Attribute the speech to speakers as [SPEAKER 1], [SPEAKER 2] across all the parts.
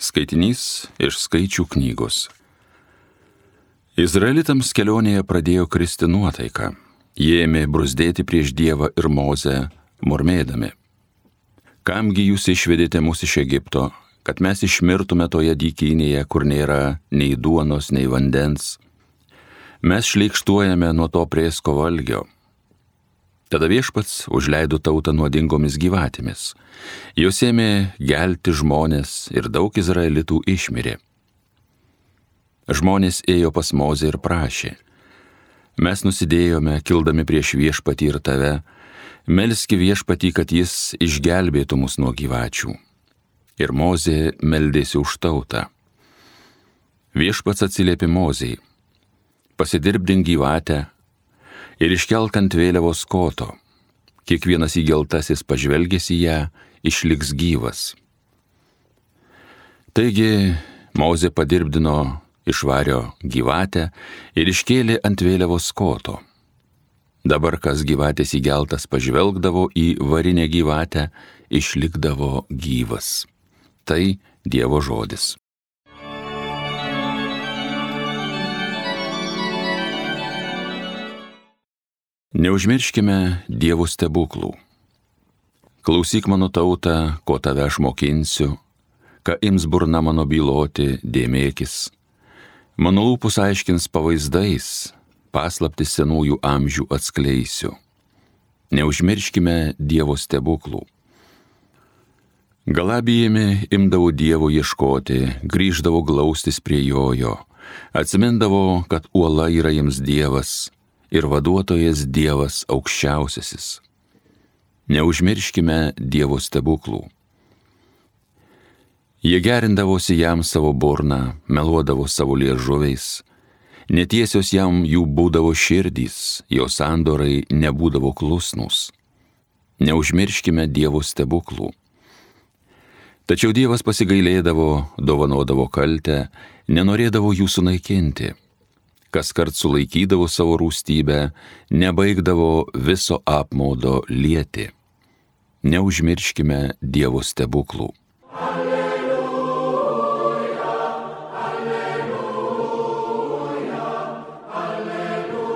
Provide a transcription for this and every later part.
[SPEAKER 1] Skaitinys iš Skaičių knygos. Izraelitams kelionėje pradėjo kristi nuotaika. Jie ėmė bruzdėti prieš Dievą ir Mozę, murmėdami: Kamgi jūs išvedėte mus iš Egipto, kad mes išmirtume toje dykynėje, kur nėra nei duonos, nei vandens? Mes šleikštuojame nuo to prėsko valgio. Tada Viešpats užleido tautą nuodingomis gyvatėmis. Jos ėmė gelti žmonės ir daug izraelitų išmirė. Žmonės ėjo pas Mozę ir prašė: Mes nusidėjome, kildami prieš Viešpatį ir tave, melski Viešpatį, kad jis išgelbėtų mus nuo gyvačių. Ir Mozė meldėsi už tautą. Viešpats atsiliepė Mozei: Pasidirbdink gyvatę ir iškelk ant vėliavos koto. Kiekvienas įgeltasis pažvelgęs į ją išliks gyvas. Taigi Mozė padirbdino iš vario gyvatę ir iškėlė ant vėliavos koto. Dabar kas gyvatės įgeltas pažvelgdavo į varinę gyvatę, išlikdavo gyvas. Tai Dievo žodis. Neužmirškime Dievo stebuklų. Klausyk mano tauta, ko tave aš mokinsiu, ką ims burna mano byloti, dėmėkis. Mano lūpus aiškins pavaizdais, paslaptis senųjų amžių atskleisiu. Neužmirškime Dievo stebuklų. Galabijami imdavo Dievo ieškoti, grįždavo glaustis prie jojo, atsimindavo, kad uola yra jiems Dievas ir vaduotojas Dievas aukščiausiasis. Neužmirškime Dievo stebuklų. Jie gerindavosi jam savo burną, meluodavo savo liežuviais, netiesios jam jų būdavo širdys, jo sandorai nebūdavo klusnūs. Neužmirškime Dievo stebuklų. Tačiau Dievas pasigailėdavo, dovanodavo kaltę, nenorėdavo jų sunaikinti. Kaskart sulaikydavo savo rūstybę, nebaigdavo viso apmaudo lieti. Neužmirškime Dievo stebuklų.
[SPEAKER 2] Alleluja, alleluja, alleluja.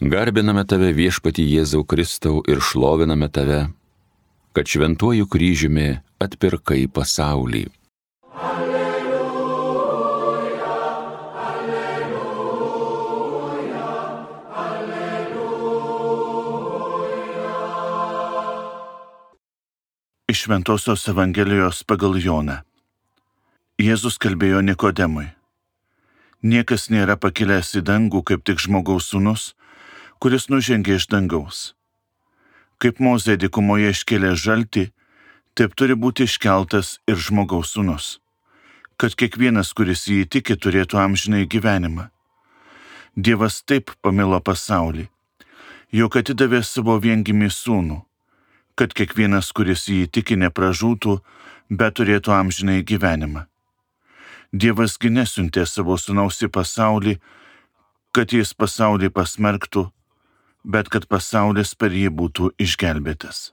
[SPEAKER 1] Garbiname tave, Viešpatį Jėzau Kristau, ir šloviname tave, kad šventuoju kryžiumi atpirkai pasaulį.
[SPEAKER 2] Iš Šventosios Evangelijos pagal Joną. Jėzus kalbėjo Nikodemui: Niekas nėra pakilęs į dangų, kaip tik žmogaus sūnus, kuris nužengė iš dangaus. Kaip Mozė dykumoje iškėlė žaltį, taip turi būti iškeltas ir žmogaus sūnus, kad kiekvienas, kuris jį tiki, turėtų amžinąjį gyvenimą. Dievas taip pamilo pasaulį, jog atidavė savo viengimį sūnų, kad kiekvienas, kuris jį tiki, nepražūtų, bet turėtų amžinąjį gyvenimą. Dievas gi nesiuntė savo sūnaus į pasaulį, kad jis pasaulį pasmerktų, bet kad pasaulis per jį būtų išgelbėtas.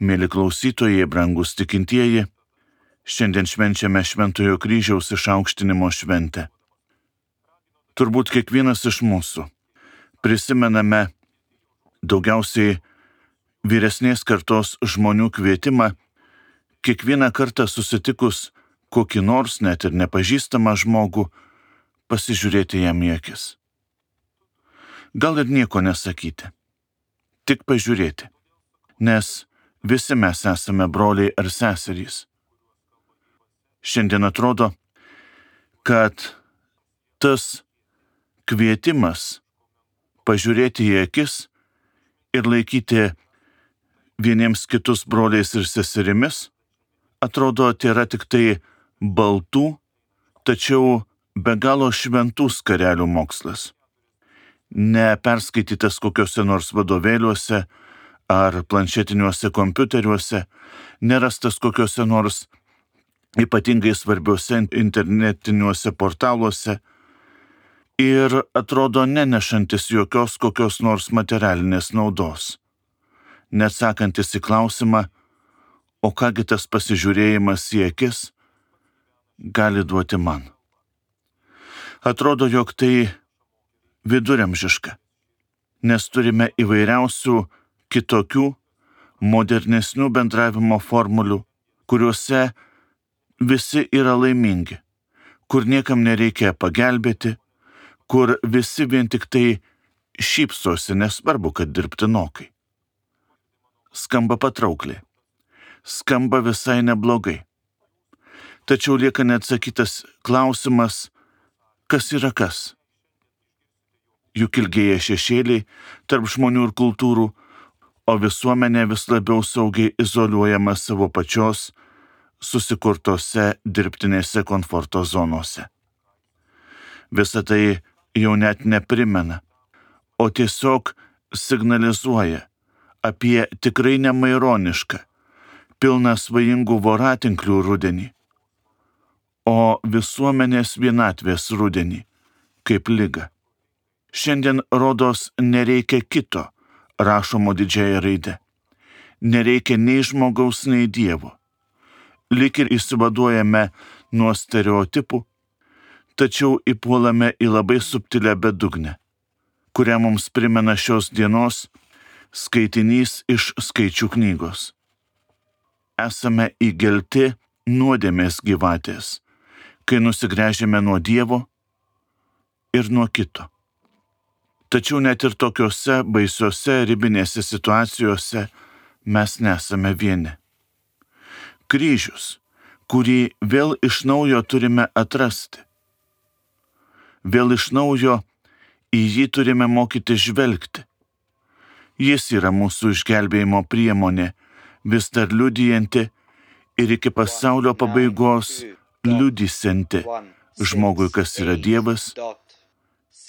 [SPEAKER 2] Mėly klausytojai, brangūs tikintieji, šiandien švenčiame Šventojo kryžiaus išaukštinimo šventę. Turbūt kiekvienas iš mūsų prisimename daugiausiai vyresnės kartos žmonių kvietimą kiekvieną kartą susitikus kokį nors net ir nepažįstamą žmogų pasižiūrėti jam į akis. Gal ir nieko nesakyti, tik pažiūrėti, nes visi mes esame broliai ar seserys. Šiandien atrodo, kad tas kvietimas pažiūrėti į akis ir laikyti vieniems kitus broliais ir seserimis atrodo tėra tik tai baltų, tačiau be galo šventų skarelių mokslas. Neperskaitytas kokiuose nors vadovėliuose ar planšetiniuose kompiuteriuose, nerastas kokiuose nors ypatingai svarbiuose internetiniuose portaluose, ir atrodo nenešantis jokios kokios nors materialinės naudos, neatsakantis į klausimą, o kągi tas pasižiūrėjimas į akis gali duoti man. Atrodo, jog tai viduramžiška, nes turime įvairiausių kitokių, modernesnių bendravimo formulių, kuriuose visi yra laimingi, kur niekam nereikia pagelbėti, kur visi vien tik tai šypsosi, nesvarbu, kad dirbtinokai. Skamba patraukliai, skamba visai neblogai. Tačiau lieka neatsakytas klausimas, kas yra kas. Juk ilgėja šešėliai tarp žmonių ir kultūrų, o visuomenė vis labiau saugiai izoliuojama savo pačios susikurtose dirbtinėse komforto zonose. Visą tai jau net neprimena, o tiesiog signalizuoja apie tikrai nemaironišką, pilną svajingų voratinklių rudenį, o visuomenės vienatvės rudenį, kaip ligą. Šiandien rodos nereikia kito, rašomo didžiąja raide. Nereikia nei žmogaus, nei Dievo. Lyg ir išsivaduojame nuo stereotipų, tačiau įpuolame į labai subtilę bedugnę, kurią mums primena šios dienos skaitinys iš Skaičių knygos. Esame įgelti nuodėmės gyvatės, kai nusigręžėme nuo Dievo ir nuo kito. Tačiau net ir tokiuose baisiuose ribinėse situacijose mes nesame vieni. Kryžius, kurį vėl iš naujo turime atrasti. Vėl iš naujo į jį turime mokyti žvelgti. Jis yra mūsų išgelbėjimo priemonė, vis dar liudijanti ir iki pasaulio pabaigos liudysianti žmogui, kas yra Dievas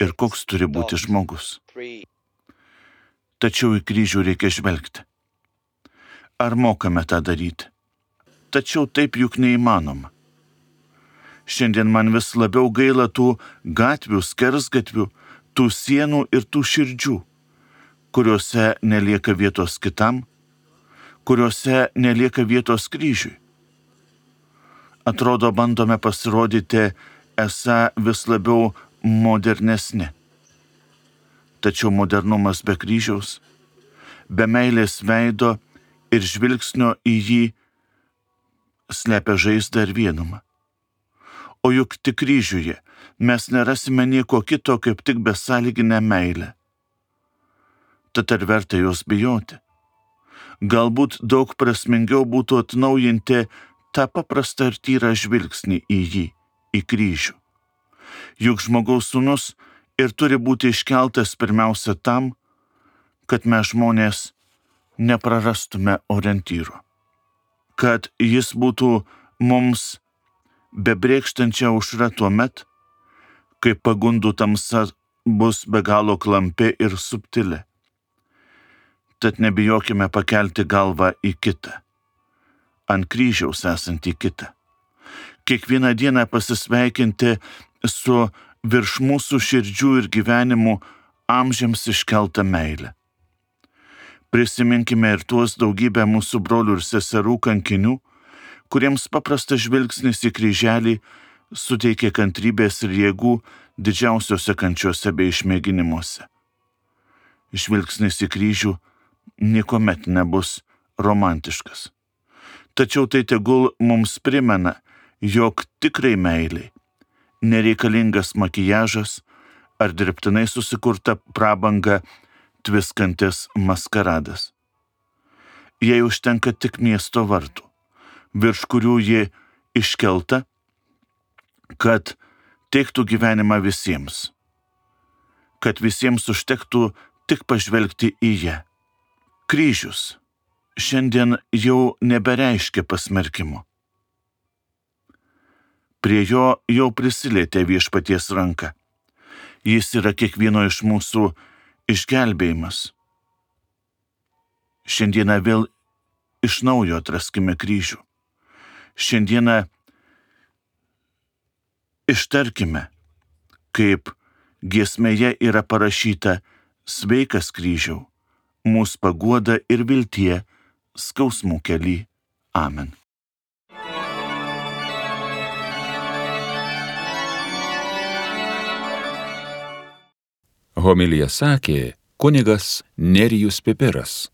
[SPEAKER 2] ir koks turi būti žmogus. Tačiau į kryžių reikia žvelgti. Ar mokame tą daryti? Tačiau taip juk neįmanoma. Šiandien man vis labiau gaila tų gatvių, skersgatvių, tų sienų ir tų širdžių, kuriuose nelieka vietos kitam, kuriuose nelieka vietos kryžiui. Atrodo, bandome pasirodyti esą vis labiau modernesni. Tačiau modernumas be kryžiaus, be meilės veido ir žvilgsnio į jį slepia žaizdą ir vienumą. O juk tik kryžiuje mes nerasime nieko kito, kaip tik besąlyginę meilę. Tad ar verta jos bijoti? Galbūt daug prasmingiau būtų atnaujinti tą paprastą ir tyrą žvilgsnį į jį, į kryžių. Juk žmogaus sūnus ir turi būti iškeltas pirmiausia tam, kad mes žmonės neprarastume orientyro. Kad jis būtų mums bebrėkštančia aušra tuomet, kai pagundų tamsa bus be galo klampi ir subtili. Tad nebijokime pakelti galvą į kitą, ant kryžiaus esantį kitą. Kiekvieną dieną pasisveikinti su virš mūsų širdžių ir gyvenimų amžiams iškeltą meilę. Prisiminkime ir tuos daugybę mūsų brolių ir seserų kankinių, kuriems paprastas žvilgsnis į kryželį suteikė kantrybės ir jėgų didžiausiose kančiose bei išmėginimuose. Žvilgsnis į kryžių niekuomet nebus romantiškas. Tačiau tai tegul mums primena, jog tikrai meiliai nereikalingas makijažas ar dirbtinai susikurta prabanga tviskantis maskaradas. Jei užtenka tik miesto vartų, virš kurių ji iškelta, kad teiktų gyvenimą visiems, kad visiems užtektų tik pažvelgti į ją. Kryžius šiandien jau nebereiškia pasmerkimo. Prie jo jau prisilietė viešpaties ranka. Jis yra kiekvieno iš mūsų išgelbėjimas. Šiandieną vėl iš naujo atraskime kryžių. Šiandieną ištarkime, kaip Giesmėje yra parašyta: sveikas kryžiau, mūsų paguoda ir viltie skausmų kely. Amen.
[SPEAKER 1] Homiliją sakė kunigas Nerijus Pipiras.